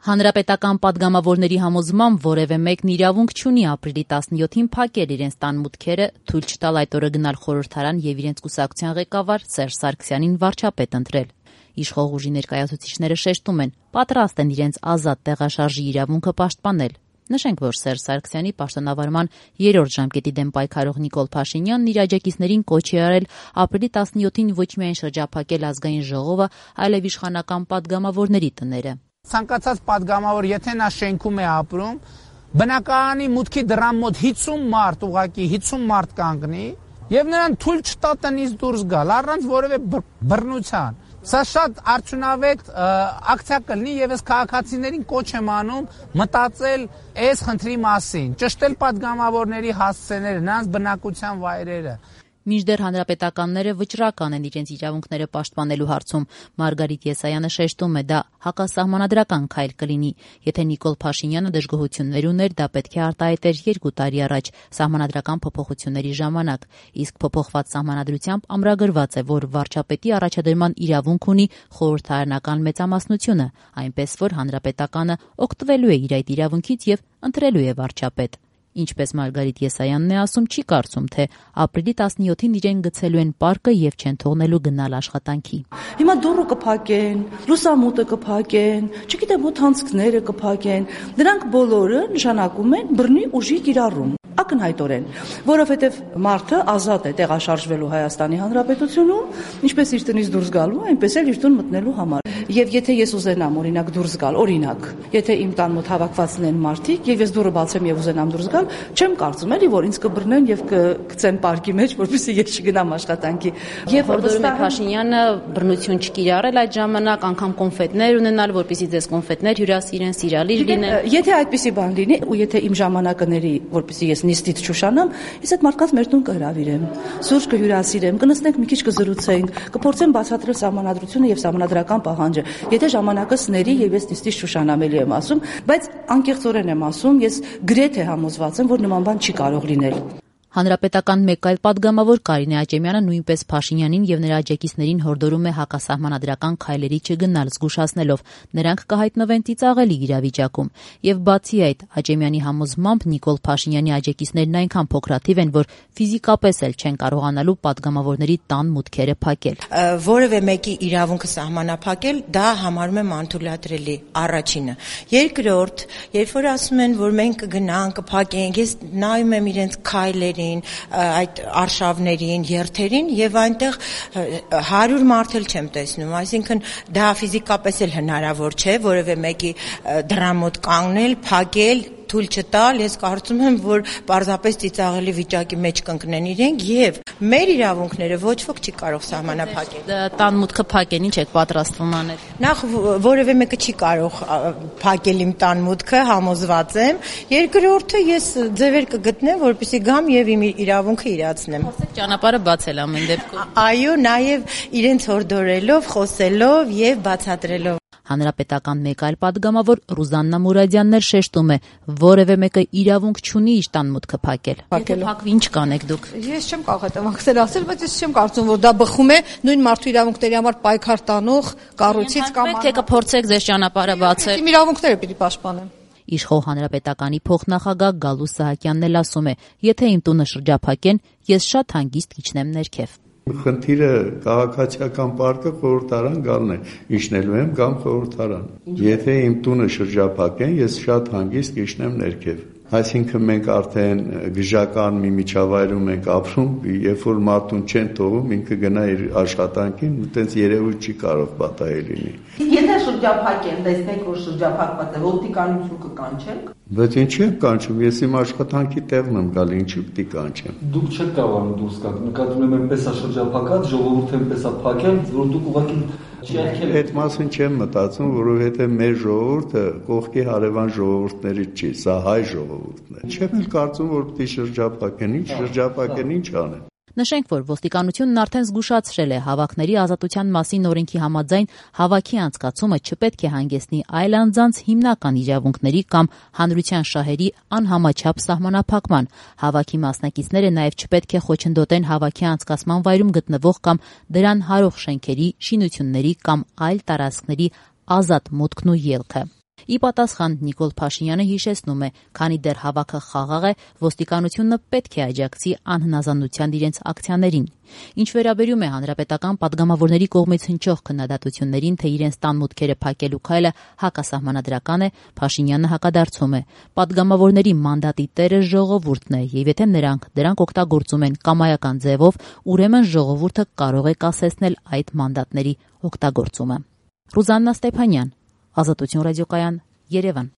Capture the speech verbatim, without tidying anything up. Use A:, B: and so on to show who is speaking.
A: Հանրապետական պատգամավորների համոզմամբ որևէ մեկն իրավունք չունի ապրիլի տասնյոթին փակել իրենց տան մուտքերը, թույլ չտալ այդ օրը գնալ խորհրդարան եւ իրենց կուսակցության ղեկավար Սերժ Սարգսյանին վարչապետ ընտրել։ Իշխող ուժի ներկայացուցիչները շեշտում են, պատրաստ են իրենց ազատ տեղաշարժի իրավունքը պաշտպանել։ Նշենք, որ Սերժ Սարգսյանի պաշտոնավարման երրորդ ժամկետի դեմ պայքարող Նիկոլ Փաշինյանն իր աջակիցներին կոչ է արել ապրիլի տասնյոթին ոչ միայն շրջափակել ազգային ժողովը, այլև իշխանական պատգամավորների տները։
B: Ցանկացած պատգամավոր, եթե նա շենքում է ապրում, բնակարանի մուտքի դռան մոտ հիսուն մարդ, ուղղակի հիսուն մարդ կանգնի եւ նրան թույլ չտա տնից դուրս գալ առանց որևէ բռնության։ Սա շատ արդյունավետ ակցիա կլինի եւ ես քաղաքացիներին կոչ եմ անում մտածել այս խնդրի մասին, ճշտել պատգամավորների հասցեները, նրանց բնակության վայրերը։
A: Մինչդեռ հանրապետականները վճռական են իրենց իրավունքները պաշտպանելու հարցում։ Մարգարիտ Եսայանը շեշտում է, դա հակասահմանադրական քայլ կլինի։ Եթե Նիկոլ Փաշինյանը դժգոհություններ ուներ, դա պետք է արտահայտեր երկու տարի առաջ սահմանադրական փոփոխությունների ժամանակ։ Իսկ փոփոխված սահմանադրությամբ ամրագրված է, որ վարչապետի առաջադրման իրավունք ունի խորհրդարանական մեծամասնությունը, այնպես որ հանրապետականը օգտվելու է իր այդ իրավունքից եւ ընտրելու է վարչապետ։ Ինչպես Մարգարիտ Եսայանն է ասում, չի կարծում, թե ապրիլի տասնյոթին իրեն գցելու են պարկը եւ չեն թողնելու գնալ աշխատանքի։
C: Հիմա դուռը կփակեն, լուսամուտը կփակեն, չգիտեմ, օդանցքները կփակեն։ Դրանք բոլորը նշանակում են բռնի ուժի կիրառում։ Ակնհայտորեն, որովհետև մարդը ազատ է տեղաշարժվելու Հայաստանի Հանրապետությունում, ինչպես իր տնից դուրս գալու, այնպես էլ իր տուն մտնելու համար։ Եվ եթե ես ուզենամ օրինակ դուրս գալ, օրինակ, եթե իմ տան մոտ հավաքվածն են մարդիկ եւ ես դուռը բացեմ եւ ուզենամ դուրս գալ, չեմ կարծում էլի, որ ինձ կբռնեն եւ կգցեն պարկի մեջ, որպեսզի ես չգնամ աշխատանքի։
A: Եվ որովհետեւ Փաշինյանը բռնություն չկիրառել այդ ժամանակ, անգամ կոնֆետներ ունենալ, որպեսզի ձեզ կոնֆետներ հյուրասիրեն, սիրալիր լինեն։
C: Եթե այդպիսի բան լինի, ու եթե իմ ժամանակը ների, որպեսզի ես նիստից չուշանամ, ես այդ մարդկանց մեր տուն կհրավիրեմ, սուրճ կհյուրասիրեմ, կնստենք մի քիչ կզրուցենք, կփորձեմ բացատրել սահմանադրությունը եւ սահմանադրական պահանջը։ Եթե ժամանակս ների եւ ես նիստից չուշանամ, էլի եմ ասում, բայց անկեղծորեն եմ ասում, ես գրեթե համոզված եմ, որ նման բան չի կարող լինել։
A: Հանրապետական մեկ այլ պատգամավոր Կարինե Աճեմյանը նույնպես Փաշինյանին եւ նրա աջակիցներին հորդորում է հակասահմանադրական քայլերի չգնալ, զգուշացնելով նրանք կհայտնվեն ծիծաղելի իրավիճակում։ Եվ բացի այդ, Աճեմյանի համոզմամբ Նիկոլ Փաշինյանի աջակիցներն այնքան փոքրաթիվ են, որ ֆիզիկապես էլ չեն կարողանալու պատգամավորների տան մուտքերը փակել։
D: Որևէ մեկի իրավունքը սահմանափակել, դա համարում եմ անթույլատրելի, առաջինը։ Երկրորդ, երբ որ ասում են, որ մենք կգնանք, կփակենք, ես նայում եմ իրենց քայլերին, այդ արշավներին, երթերին եւ այնտեղ հարյուր մարդ էլ չեմ տեսնում, այսինքն դա ֆիզիկապես էլ հնարավոր չէ որևէ մեկի դռան մոտ կանգնել, փակել, թույլ չտալ, ես կարծում եմ, որ պարզապես ծիծաղելի վիճակի մեջ կընկնեն իրենք եւ մեր իրավունքները ոչ ոք չի կարող սահմանափակել։
A: Տան մուտքը փակեն, ինչ եք պատրաստվում անել։
D: Նախ որևէ մեկը չի կարող փակել իմ տան մուտքը, համոզված եմ։ Երկրորդը ես ձևեր կգտնեմ, որպեսզի գամ եւ իմ իրավունքը իրացնեմ։
A: Խոսեք ճանապարհը բացել ամեն դեպքում։
D: Այո, նաեւ իրենց հորդորելով, խոսելով եւ բացատրելով։
A: Հանրապետական մեկ այլ պատգամավոր Ռուզաննա Մուրադյանն էլ շեշտում է, որևէ մեկը իրավունք չունի իր տան մուտքը փակել։ Եթե փակվի, ինչ կանեք դուք։
E: Ես չեմ կարող հետևանքներ ասել, բայց ես չեմ կարծում, որ դա բխում է նույն մարդու իրավունքների համար պայքար տանող կառույցից կամ
A: թե կփորձեք ձեր ճանապարհը բացել։
E: Իմ իրավունքները պիտի պաշտպանեմ։
A: Իշխող հանրապետականի փոխնախագահ Գալուս Սահակյանն էլ ասում է, եթե իմ տունը շրջափակեն, ես շատ հանգիստ կիջնեմ ներքև։
F: Խնդիրը քաղաքացիական պարկը խորհրդարան գալն է, իջնելու եմ կամ խորհրդարան։ Եթե իմ տունը շրջափակեն, ես շատ հանգիստ կիջնեմ ներքև։ Այսինքն մենք արդեն գժական մի միջավայրում ենք ապրում, երբ որ մարդուն չեն թողում, ինքը գնա իր աշխատանքին, այտենց երևույթ չի կարող պատահել լինի։
C: Եթե շրջափակեն, տեսնեք, որ շրջափակված է, ոստիկանություն կկանչենք։
F: Բայց ինչի՞ եմ կանչում, ես իմ աշխատանքի տեղն եմ գալ, ինչի՞ պիտի կանչեմ։
G: Դուք չեք կարողանում դուրս գալ, նկատում եմ այնպես է շրջափակած, ժողովուրդը այնպես է փակել, որ դուք ուղղակի
F: Այդ մասին չեմ մտածում, որովհետև մեր ժողովուրդը կողքի հարևան ժողովուրդներից չի, սա հայ ժողովուրդն է։ Չեմ էլ կարծում, որ պիտի շրջափակեն, ինչ շրջափակեն, ինչ անեն։
A: Նշենք, որ ոստիկանությունն արդեն զգուշացրել է հավաքների ազատության մասին օրենքի համաձայն հավաքի անցկացումը չպետք է հանգեցնի այլ անձանց հիմնական իրավունքների կամ հանրության շահերի անհամաչափ սահմանափակման։ Հավաքի մասնակիցները նաև չպետք է խոչընդոտեն հավաքի անցկացման վայրում գտնվող կամ դրան հարող շենքերի, շինությունների կամ այլ տարածքների ազատ մուտքն ու ելքը։ Ի պատասխան Նիկոլ Փաշինյանը հիշեցնում է, քանի դեռ հավաքը խաղաղ է, ոստիկանությունը պետք է աջակցի անհնազանդության իրենց ակցիաներին։ Ինչ վերաբերում է հանրապետական падգամավորների կողմից հնչող քննադատություններին, թե իրենց տան մուտքերը փակելու քայլը հակասահմանադրական է, Փաշինյանը հակադարձում է. падգամավորների մանդատի տերը ժողովուրդն է, եւ եթե նրանք դրանք օգտագործում են կամայական ձևով, ուրեմն ժողովուրդը կարող է կասեցնել այդ մանդատների օգտագործումը։ Ռուզաննա Ստեփանյան, Ազատություն ռադիոկայան, Երևան։